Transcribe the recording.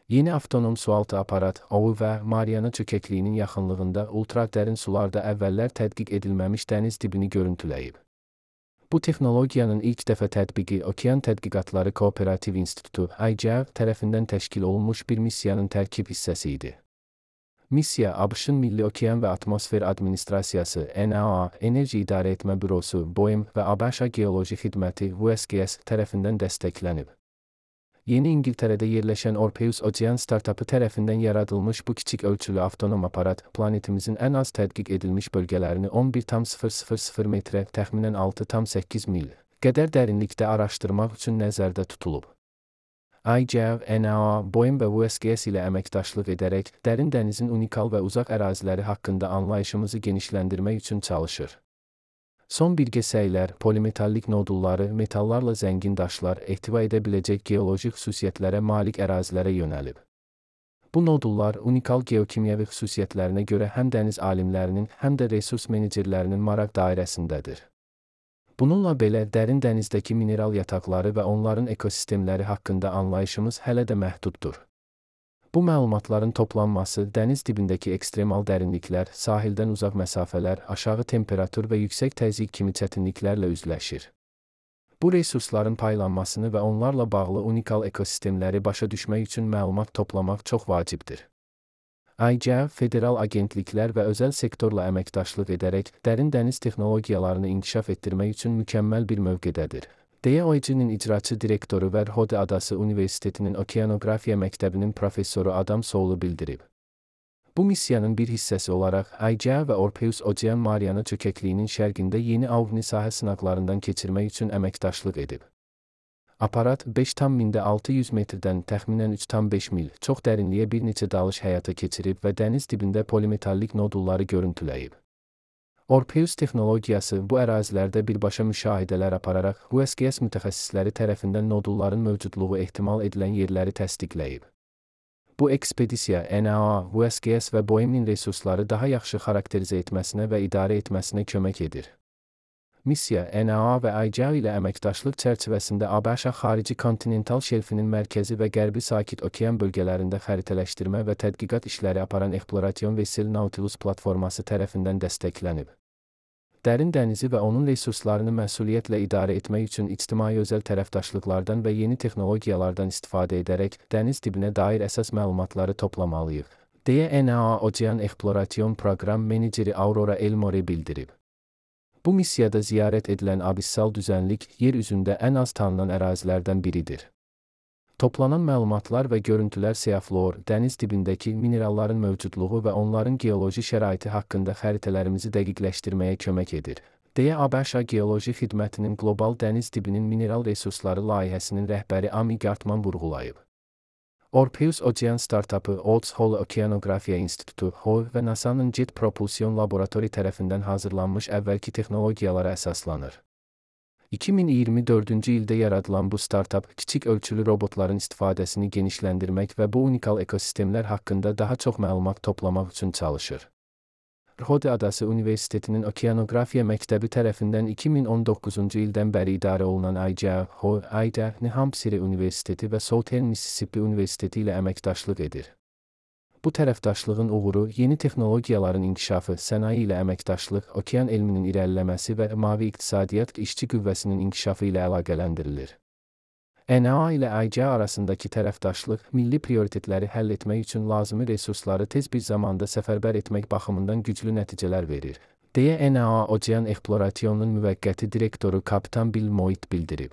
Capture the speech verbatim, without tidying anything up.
Yeni avtonom sualtı aparat O V və Mariana çökəkliyinin yaxınlığında ultradərin sularda əvvəllər tədqiq edilməmiş dəniz dibini görüntüləyib. Bu texnologiyanın ilk dəfə tətbiqi Okean Tədqiqatları Kooperativ İnstitutu I C A tərəfindən təşkil olunmuş bir missiyanın tərkib hissəsi idi. Missiya A B Ş-ın Milli Okean və Atmosfer Administrasiyası N A A, Enerji İdarə Etmə Bürosu B O E M və A B Ş Geoloji Xidməti U S G S tərəfindən dəstəklənib. Yeni İngiltərədə yerləşən Orpheus Ocean startapı tərəfindən yaradılmış bu kiçik ölçülü avtonom aparat, planetimizin ən az tədqiq edilmiş bölgələrini on bir tam sıfır sıfır sıfır metrə, təxminən altı tam səkkiz mil qədər dərinlikdə araşdırmaq üçün nəzərdə tutulub. I C A, N A A, B O E M və U S G S ilə əməkdaşlıq edərək, dərin dənizin unikal və uzaq əraziləri haqqında anlayışımızı genişləndirmək üçün çalışır. Son birgə səylər, polimetallik nodulları, metallarla zəngin daşlar, ehtiva edə biləcək geoloji xüsusiyyətlərə malik ərazilərə yönəlib. Bu nodullar unikal geokimyəvi xüsusiyyətlərinə görə həm dəniz alimlərinin, həm də resurs menecerlərinin maraq dairəsindədir. Bununla belə, dərin dənizdəki mineral yataqları və onların ekosistemləri haqqında anlayışımız hələ də məhduddur. Bu məlumatların toplanması, dəniz dibindəki ekstremal dərinliklər, sahildən uzaq məsafələr, aşağı temperatur və yüksək təzyiq kimi çətinliklərlə üzləşir. Bu resursların paylanmasını və onlarla bağlı unikal ekosistemləri başa düşmək üçün məlumat toplamaq çox vacibdir. I C A, federal agentliklər və özəl sektorla əməkdaşlıq edərək, dərin dəniz texnologiyalarını inkişaf etdirmək üçün mükəmməl bir mövqedədir, deyə O E C-nin icraçı direktoru və Rhode Adası Universitetinin Okeanografiya məktəbinin professoru Adam Sowell bildirib. Bu missiyanın bir hissəsi olaraq I C A və Orpheus Ocean Mariana çökəkliyinin şərqində yeni OVNI sahə sınaqlarından keçirmək üçün əməkdaşlıq edib. Aparat beş tam altı yüz metrdən təxminən üç tam beş mil çox dərinliyə bir neçə dalış həyata keçirib və dəniz dibində polimetallik nodulları görüntüləyib. Orpheus texnologiyası bu ərazilərdə birbaşa müşahidələr apararaq U S G S mütəxəssisləri tərəfindən nodulların mövcudluğu ehtimal edilən yerləri təsdiqləyib. Bu ekspedisiya N A A, U S G S və B O E M-in resursları daha yaxşı xarakterizə etməsinə və idarə etməsinə kömək edir. Missiya N A A və I C A ilə əməkdaşlıq çərçivəsində A B Ş xarici kontinental şelfinin mərkəzi və qərbi sakit okean bölgələrində xəritələşdirmə və tədqiqat işləri aparan Eksploration Vessel Nautilus platforması tərəfindən dəstəklənib. Dərin dənizi və onun resurslarını məsuliyyətlə idarə etmək üçün ictimai-özəl tərəfdaşlıqlardan və yeni texnologiyalardan istifadə edərək dəniz dibinə dair əsas məlumatları toplamalıyıq, deyə N A A Ocean Exploration Program meneceri Aurora Elmore bildirib. Bu missiyada ziyarət edilən abissal düzənlik yer üzündə ən az tanınan ərazilərdən biridir. Toplanan məlumatlar və görüntülər seafluor, dəniz dibindəki mineralların mövcudluğu və onların geoloji şəraiti haqqında xəritələrimizi dəqiqləşdirməyə kömək edir, deyə A B Ş Geoloji Xidmətinin Qlobal Dəniz Dibinin Mineral Resursları layihəsinin rəhbəri Amy Gartman vurğulayıb. Orpheus Ocean startapı Olds Hole Okeanografiya İnstitutu H O və NASA'nın Jet Propulsion Laboratori tərəfindən hazırlanmış əvvəlki texnologiyalara əsaslanır. iki min iyirmi dördüncü ildə yaradılan bu startap, kiçik ölçülü robotların istifadəsini genişləndirmək və bu unikal ekosistemlər haqqında daha çox məlumat toplamaq üçün çalışır. Rhode Adası Universitetinin Okeanografiya məktəbi tərəfindən iki min on doqquzuncu ildən bəri idarə olunan I C A, H O, I D A, New Hampshire Universiteti və Southern Mississippi Universiteti ilə əməkdaşlıq edir. Bu tərəfdaşlığın uğuru yeni texnologiyaların inkişafı, sənaye ilə əməkdaşlıq, okean elminin irəliləməsi və mavi iqtisadiyyat işçi qüvvəsinin inkişafı ilə əlaqələndirilir. N A A ilə I C A arasındakı tərəfdaşlıq, milli prioritetləri həll etmək üçün lazımi resursları tez bir zamanda səfərbər etmək baxımından güclü nəticələr verir, deyə N A A Ocean Exploration'un müvəqqəti direktoru kapitan Bill Moyt bildirib.